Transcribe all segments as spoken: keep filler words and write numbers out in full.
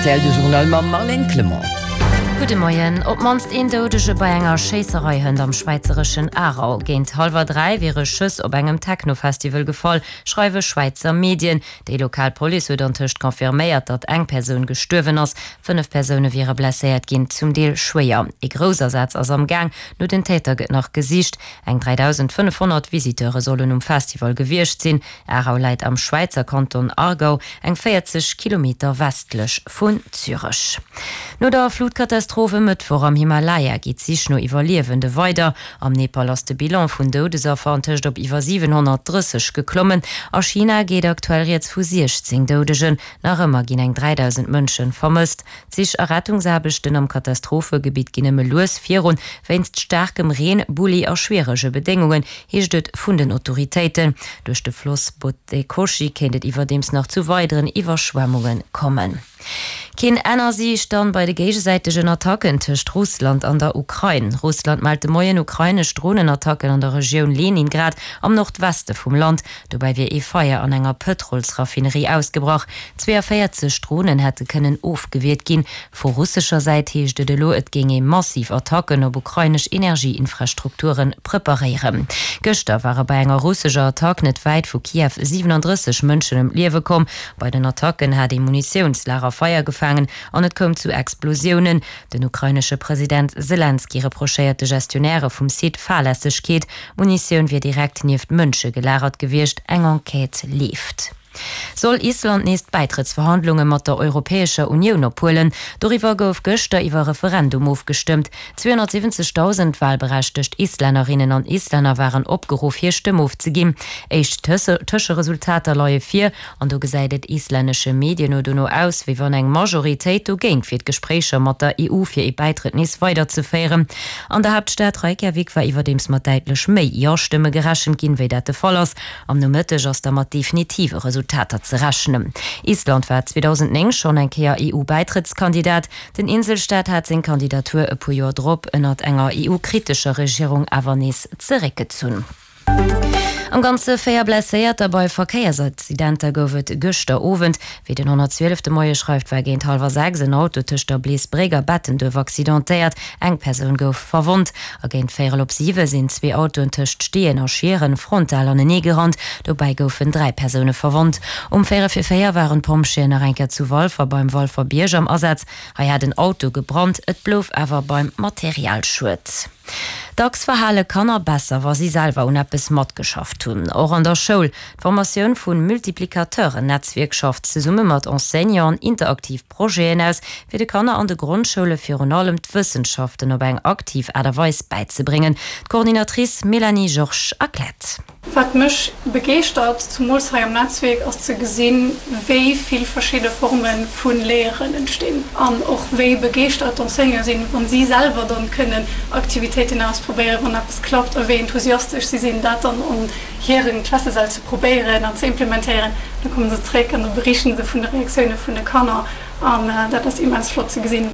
rtl, de Journal mam Marlène Clement. Gudde Moien. Op d'mannst een Doudege bei enger Schéisserei hënt am schwäizereschen Aarau. Géint hallwer dräi wiere Schëss op engem Techno-Festival gefall, schreiwe Schwäizer Medien. Déi lokal Police huet antëscht confirméiert, datt eng Persoun gestuerwen ass. Fënnef Persoune wiere blesséiert ginn, zum Deel schwéier. Ee Groussasaz ass am Gaang, no den Täter gëtt nach gesicht. Eng dräidausendfënnefhonnert Visiteure sollen um Festival gewiescht sinn. Aarau läit am Schwäizer Kanton Aargau, eng véierzeg Kilometer westlech vun Zürech. No der Flutkatastroph e Mëttwoch am Himalaya geet d'Sich no Iwwerliewende weider. Am Nepal ass de Bilan vun Doudesaffer antëscht op iwwer siwenhonnertdrësseg geklommen. A China geet aktuell rieds vu siechzéng Doudegen. Nach ëmmer ginn eng dräidausend Mënsche vermësst. D'Sich a Rettungsaarbechten am Katastrophegebitt ginn nëmme lues virun, wéinst staarkem Reen, Bulli a schwierege Bedéngungen, heescht et vun den Autoritéiten. Duerch de Floss Bhote Koshi kéint et iwwerdeems nach zu weideren Iwwerschwemmunge kommen. Keen Enn a Siicht dann bei de géigesäitegen Attacken tëscht Russland an der Ukrain. Russland mellt de Moien ukrainesch Dronenattacken an der Regioun Leningrad am Nordweste vum Land. Dobäi wier ee Feier an enger Pëtrolsraffinerie ausgebrach. zweeënvéierzeg Dronen hätte kënnen ofgewiert ginn. Vu russescher Säit heescht et elo, et géing ee massiv Attacken op ukrainesch Energieinfrastrukture preparéieren. Gëschter ware bei enger russescher Attack net wäit vu Kiew siwenandrësseg Mënschen ëm d'Liewe komm. Bei den Attacken hat ee Munitiounslager Feier gefaangen an et koum zu Explosiounen. Den ukrainesche President Selenskyj reprochéiert de Gestionnairë vum Site Fahrlässegkeet. D'Munitioun wier direkt nieft Mënsche gelagert gewiescht. Eng Enquête leeft. Soll Island nees d'Bäitrëttsverhandlunge mat der Europäescher Unioun ophuelen? Doriwwer gouf gëschter iwwer Referendum ofgestëmmt. zweehonnertsiwwenzegdausend walberechtegt Islännerinnen an Islänner waren opgeruff, hir Stëmm ofzeginn. Éischt Tëscheresultater leie vir an do gesäit et islännesche Medien no dono aus, wéi wann eng Majoritéit dogéint wier, d'Gespréicher mat der E U fir ee Bäitrëtt nees weiderzeféieren. An der Haaptstad Reykjavik war iwwerdeems mat däitlech méi Jo-Stëmme gerechent ginn, wéi dat de Fall ass. Am Nomëtteg ass da mat definitive Resultater ze rechnen. Island war zweedausendnéng schonn eng Kéier E U-Bäitrëttskandidat. Den Inselstaat hat seng Kandidatur e puer Joer drop ënnert enger E U-kritescher Regierung awer nees zeréckgezunn. Am Ganze véier Blesséierter bei Verkéiersaccidenter gouf et gëschter Owend. Wéi den honnertzwielef de Moie schreift, war géint hallwer sechs en Auto tëscht der Bleesbréck a Bettenduerf accidentéiert. Eng Persoun gouf verwonnt. A géint véierel op siwe sinn zwee Autoen tëscht Steeën a Schieren frontal anenee gerannt. Dobäi goufen dräi Persoune verwonnt. Um véierel vir véier waren d'Pompjeeën nach eng Kéier zu Walfer beim Walfer Bierg am Asaz. Hei hat en Auto gebrannt, et blouf awer beim Materialschued. Dacks verhale Kanner besser, wa si selwer un eppes matgeschafft hunn, och an der Schoul. D'Formatioun vu Multiplicateuren-Netzwierk schafft zesumme mat Enseignanten interaktiv Projeten aus, fir de Kanner an de Grondschoule virun allem d'Wëssenschaften op eng aktiv Aart a Weis bäizebréngen. D'Coordinatrice Mélanie Georges erkläert. Wat mech begeeschtert, zumools hei am Netzwierk, ass ze gesinn, wéi vill verschidde Forme vu Léieren entstinn an och wéi begeeschtert d'Enseignanten sinn, wa si selwer dann kënnen Aktivitéiten ausprobéieren, wann eppes klappt, a wéi enthusiastesch si sinn, dat dann an hiren Klassesäll ze probéieren an ze implementéieren. Da komme se zréck an da berichten se vun de Reaktioune vun de Kanner an dat ass immens flott ze gesinn.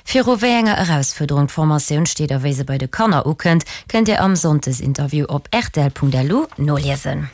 Viru wéi enger Erausfuerderung d'Formatioun steet a wéi se bei de Kanner ukënnt, kënnt Dir am Sonndesinterview op rtl Punkt lu noliesen.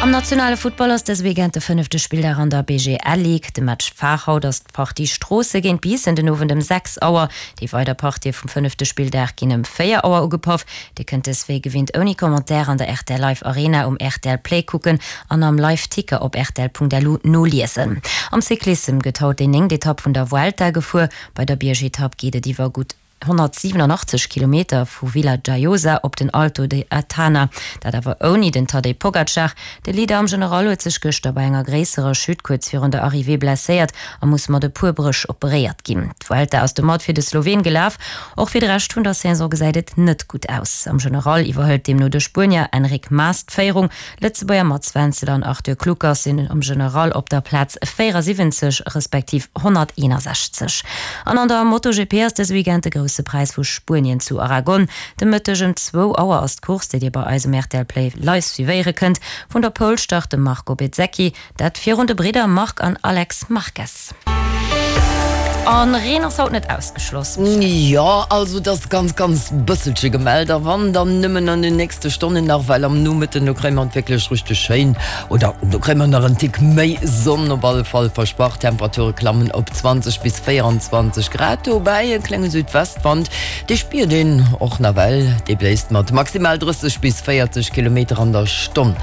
Am nationale Futtball ass dëse Weekend de fënnefte Spilldag an der B G L Ligue. De Match Phare haut ass d'Partie Stroosse géint Biissen den Owend ëm sechs Auer. Déi weider Partië vum fënnefte Spilldag ginn ëm véier Auer ugepaff. Dir kënnt dës wéi gewinnt ouni Commentaire an der R T L Live Arena um R T L Play kucken an am Live Ticker op rtl Punkt lu noliesen. Am Cyclissem gëtt haut déi néngt Etapp vun der Vuelta gefuer. Bei der Biergetapp geet et iwwer gutt honnertsiwenanachtzeg Kilometer vu Villajoyosa op den Alto de Atana, dat awer ouni den Tadej Pogacar. De Leader am General huet sech gëschter bei enger gréisserer Chute kuerz virun der Arrivée blesséiert a muss mat e puer Bréch operéiert ginn. D'Vuelta ass domat fir de Sloween gelaf. Och fir de Rescht vun der Saison gesäit et net gutt aus. Am General iwwerhëlt deemno de Spuenier Enric Mas d'Féierung. Lëtzebuerger Mats Wenzel an Arthur Kluckers sinn am General op der Plaz véierasiwwenzeg respektiv honnerteenasechzeg. An an der MotoGP ass dëse Weekend de Grousse Präis vu Spuenien zu Aragon. De Mëtteg ëm zwou Auer ass d'Course, déi Dir bei eis um R T L Play live suivéiere kënnt. Vun der Pole start de Marco Bezzecchi, dat virun de Bridder Marc an Alex Marquez. An Reen ass haut net ausgeschloss. Jo, also et ass ganz, ganz bësselche gemellt a wann, dann nëmmen an den nächste Stonnen nach, well am Nomëtten, do kréie mer et wierklech richteg schéin, oder do kréie mer nach en Tick méi Sonn op alle Fall versprach. D'Temperature klammen op zwanzeg bis véierundzwanzeg Grad, dobäi e klenge Südwestwand, dee spiert een och nawell, dee bléist mat maximal drësseg bis véierzeg Kilometer an der Stonn.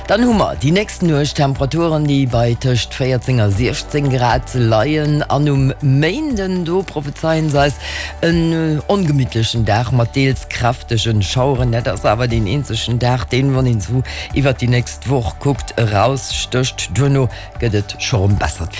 Dann hu mer déi nächst Nuecht Temperaturen, déi bei tëscht véierzéng a siechzéng Grad leien an um Méinden, do prophezeien se eis en ongemittlechen Dag mat deels kräftegen Schaueren. Dat ass awer deen eenzegen Dag, deen, wann een esou iwwert déi nächst Woch kuckt, erausstécht. Duerno gëtt et scho rëm bessert.